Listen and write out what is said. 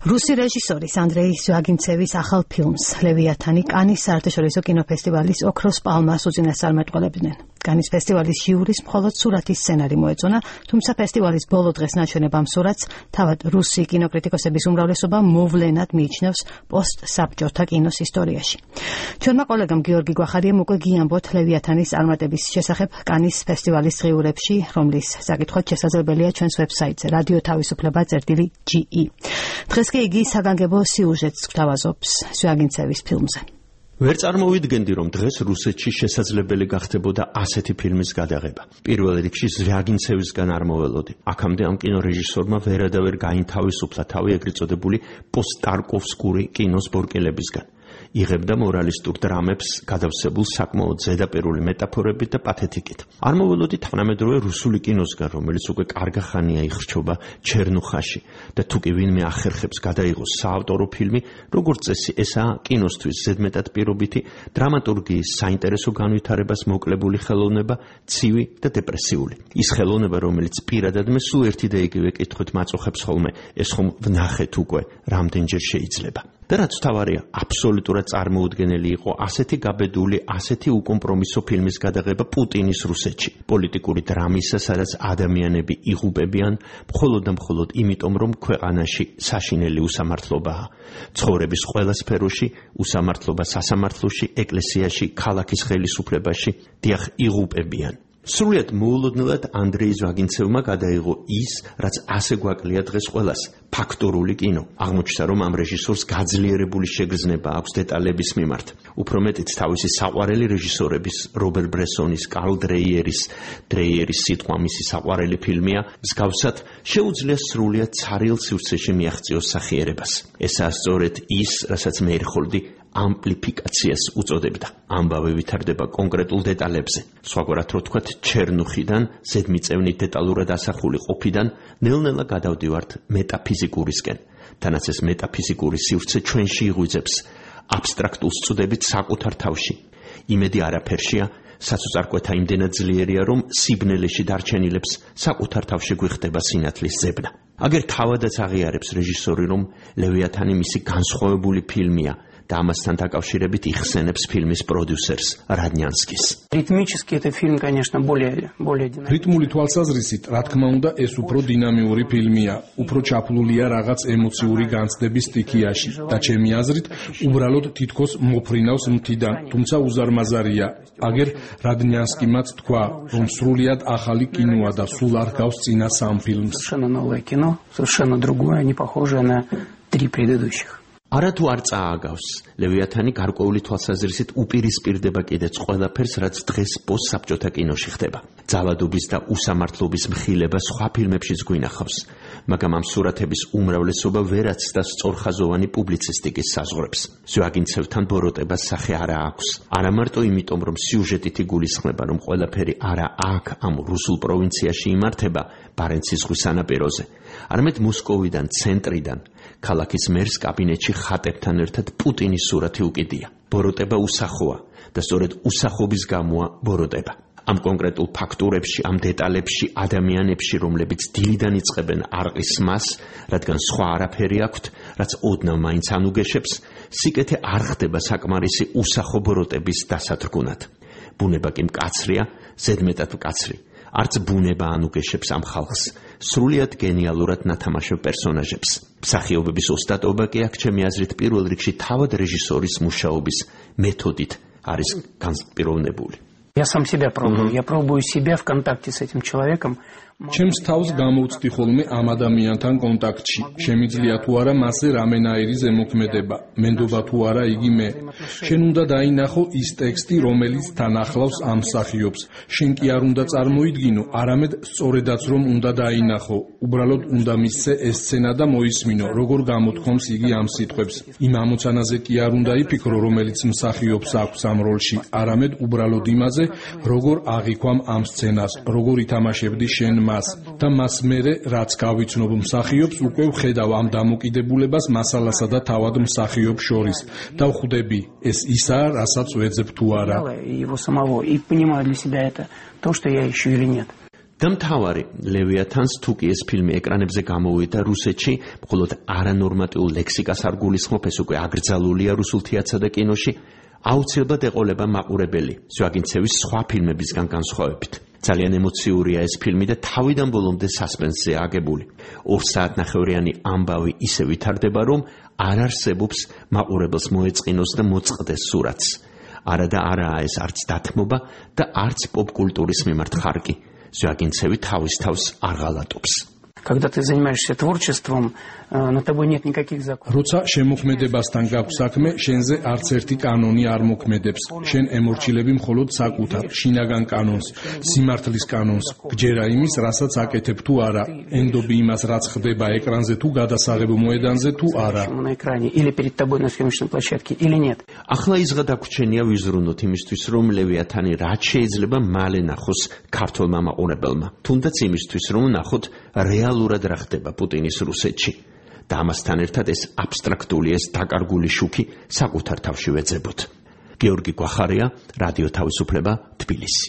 რუსი რეჟისორის ანდრეი ზვაგინცევის ახალ ფილმს ლევიათანი კანის საერთაშორისო კინოფესტივალის ოქროს პალმას უწინასწარმეტყველებდნენ. კანის ფესტივალის ჟიურის მხოლოდ სურათის სცენარი მოეწონა, თუმცა ფესტივალის ბოლო დღეს ნაჩვენებ ამ სურათს თავად რუსი კინოკრიტიკოსების უმრავლესობა მოვლენად მიიჩნევს პოსტსაბჭოთა კინოს ისტორიაში. ჩვენმა კოლეგამ გიორგი გვახარიამ უკვე გიამბოთ ლევიათანის წარმატების შესახებ კანის ფესტივალის დღიურებში, რომლის საკითხოთ შესაძლებელია ჩვენს ვებსაიტზე radio-თავისუფლება.ge. დღეს კი იგი საგანგებო სიუჟეტს გვთავაზობს ზვაგინცევის ფილმზე. ვერ წარმოვიდგენდი, რომ დღეს რუსეთში შესაძლებელი გახდებოდა ასეთი ფილმის გადაღება. პირველ რიგში ზვაგინცევისგან არ მოველოდი. აქამდე ამ კინორეჟისორმა ვერადავერ გაინთავისუფლა თავი ეგრეთ წოდებული პოსტტარკოვსკური კინოს ბორკელებისგან. იღებდა მორალისტურ დრამებს გადავსებულ საკმაოდ ზედაპირული მეტაფორებით და პათეტიკით. არ მოველოდი თანამედროვე რუსული კინოსგან, რომელიც უკვე კარგა ხანია იხრჩობა ჩერნუხაში და თუ კი ვინმე ახერხებს გადაიღოს საავტორო ფილმი, როგორც წესი, ესაა კინოსთვის ზედმეტად პირობითი დრამატურგიის საინტერესო განვითარებას მოკლებული ხელოვნება, ცივი და დეპრესიული. ის ხელოვნება, რომელიც პირადად მე სულ ერთი და იგივე კითხვით მაწუხებს ხოლმე, ეს ხომ ვნახეთ უკვე, რამდენჯერ შეიძლება. და რაც თავარია, აბსოლუტურად წარმოუდგენელი იყო ასეთი გაბედული, ასეთი უკომპრომისო ფილმის გადაღება პუტინის რუსეთში. პოლიტიკური დრამისა, სადაც ადამიანები იღუპებიან მხოლოდ და მხოლოდ იმიტომ, რომ ქვეყანაში საშინელი უსამართლობაა. ცხოვრების ყველა სფეროში, უსამართლობა სასამართლოში, ეკლესიაში, ქალაქის ხელისუფლებაში, დიახ, იღუპებიან. სრულიად მოულოდნელად ანდრეი ზვაგინცევმა გადაიღო ის, რაც ასე გვაკლია დღეს ყველას, ფაქტურული კინო. აღმოჩნდა, რომ ამ რეჟისორს გაძლიერებული შეგრძნება აქვს დეტალების მიმართ. უფრო მეტიც თავისი საყვარელი რეჟისორების, რობერ ბრესონის, კარლ დრეიერის სიტყვა მისი საყვარელი ფილმია, მსგავსად შეუძლია სრულიად ცარიელ სივრცეში მიაღწიოს სახიერებას. ესაა სწორედ ის, რასაც მე ერხოლდი ამპლიფიკაციას უწოდებდა. ამბავი ვითარდება კონკრეტულ დეტალებზე. სხვაგვარად რო თქვათ, ჩერნუხიდან, ზედმიწევნით დეტალურად ასახული ყოფიდან, ნელ-ნელა გადავდივართ მეტაფიზიკურისკენ. თანაც ეს მეტაფიზიკური სივრცე ჩვენში იღვიძებს აბსტრაქტულ სწუდებით საკუთარ თავში. იმედი არაფერშია, საწუწარკვეთა იმდენად ძლიერია, რომ სიბნელეში დარჩენილებს საკუთარ თავში გვიხდება სინათლის ზებნა. აგერ თავადაც აღიარებს რეჟისორი, რომ ლევიათანი მისი განსხვავებული ფილმია და ამასთან დაკავშირებით იხსენებს ფილმის პროდიუსერს რადნიანსკის. Ритмически это фильм, конечно, более динамичный. რიტმული თვალსაზრისით, რა თქმა უნდა, ეს უფრო დინამიური ფილმია, უფრო ჩაფლულია რაღაც ემოციური განცდების სტიქიაში და ჩემი აზრით, უბრალოდ თითქოს მოფრინავს მთიდან, თუმცა უზარმაზარია. აგერ რადნიანსკიმაც თქვა, რომ სრულიად ახალი კინოა და სულ არ გავს წინა სამ ფილმს. Совершенно новое кино, совершенно другое, не похожее на три предыдущих. არათუ არ წააგავს, ლევიათანი გარკვეული თვალსაზრისით უპირისპირდება კიდეც ყველაფერს, რაც დღეს პოსტსაბჭოთა კინოში ხდება. ძალადობის და უსამართლობის მხილება სხვა ფილმებშიც გვინახავს, მაგრამ ამ სურათების უმრავლესობა ვერაცდა სწორხაზოვანი პუბლიცისტიკის საზღვრებს. ზვაგინცევთან ბოროტებას სახე არა აქვს. არა მარტო იმიტომ, რომ სიუჟეტით იგულისხმება, რომ ყველაფერი არა აქ, ამ რუსულ პროვინციაში იმართება, ბარენცის ზღვის სანაპიროზე, არამედ მოსკოვიდან, ცენტრიდან, ქალაქის მერს კაბინეტში ხატებთან ერთად პუტინის სურათი უკიდია. ბოროტება უსახოა და სწორედ უსახობის გამოა ბოროტება. ამ კონკრეტულ ფაქტურებში, ამ დეტალებში, ადამიანებში, რომლებიც დილიდან იწყებენ არყის მას, რადგან სხვა არაფერი აქვთ, რაც ოდნავ მაინც ანუგეშებს, სიკეთე არ ხდება საკმარისი უსახო ბოროტების დასათრგუნად. ბუნება კი მკაცრია, ზედმეტად მკაცრი. არც ბუნება ანუგეშებს ამ ხალხს, სრულიად გენიალურად ნათამაშებ პერსონაჟებს. მსახიობების ოსტატობა კი აქ ჩემი აზრით პირველ რიგში თავად რეჟისორის მუშაობის მეთოდით არის განსპიროვნებული. Я сам себя пробую. Я пробую себя в контакте с этим человеком. ჩემს თავს გამოვწდი ხოლმე ამ ადამიანთან კონტაქტში. შემიძლია თუ არა მასზე რამენაირი ზემოქმედება, მენდობა თუ არა იგი მე. შენ უნდა დაინახო ის ტექსტი, რომელიც თან ახლავს ამ მსახიობს. შენ კი არ უნდა წარმოიდგინო, არამედ სწორედაც რომ უნდა დაინახო. უბრალოდ უნდა მისცე ეს სცენა და მოისმინო, როგორ გამოთქვამს იგი ამ სიტყვებს. იმ ამოცანაზე კი არ უნდა იფიქრო, რომელიც მსახიობს აქვს ამ როლში, არამედ უბრალოდ იმაზე, როგორ აღიქვამ ამ სცენას, როგორ ითამაშებდი შენ მას და მას მერე რაც გავიცნობ მსახიობს უკვე ვხედავ ამ დამოკიდებულებას მასალასა და თავად მსახიობს შორის და ვხვდები ეს ისაა რასაც ვეძებ თუ არა. Его самого и понимаю для себя это то, что я ищу или нет. და მთავარი ლევიათანს თუ კი ეს ფილმი ეკრანებზე გამოვიდა რუსეთში, მხოლოდ არანორმატიულ ლექსიკას არ გულისხმობ, ეს უკვე აკრძალულია რუსულ თეატრსა და კინოში, აუცილებლად ეყოლება მაყურებელი ზვიაგინცევის სხვა ფილმებისგან განსხვავებით. ძალიან ემოციურია ეს ფილმი და თავიდან ბოლომდე სასპენსზეა აგებული. 2 საათნახევრიანი ამბავი ისე ვითარდება, რომ არ არსებობს მაყურებელს მოეწყინოს და მოწყდეს სურათს. არა და არაა ეს არც დათმობა და არც პოპკულტურის მიმართ ხარკი. ზვიაგინცევი თავის თავს არ ღალატობს. Когда ты занимаешься творчеством, над тобой нет никаких законов. როცა შემოქმედებასთან გაქვს საქმე, შენზე არც ერთი კანონი არ მოქმედებს. შენ ემორჩილები მხოლოდ საკუთარ შინაგან კანონს, სიმართლის კანონს. გჯერა იმის, რასაც აკეთებ თუ არა, ენდობი იმას, რაც ხდება ეკრანზე თუ გადასაღებ მოედანზე თუ არა. На экране или перед тобой на съемочной площадке или нет. ახლა იზღა დაგვრჩენია ვიზრუნოთ იმისთვის, რომ ლევიათანი რაც შეიძლება მალე ნახოს ქართულმა მაყურებელმა. თუნდაც იმისთვის, რომ ნახოთ რეალურად რა ხდება პუტინის რუსეთში. და ამასთან ერთად ეს აბსტრაქტული, ეს დაკარგული შუქი საკუთარ თავში ვეძებოთ. გეორგი გვახარია, რადიო თავისუფლება, თბილისი.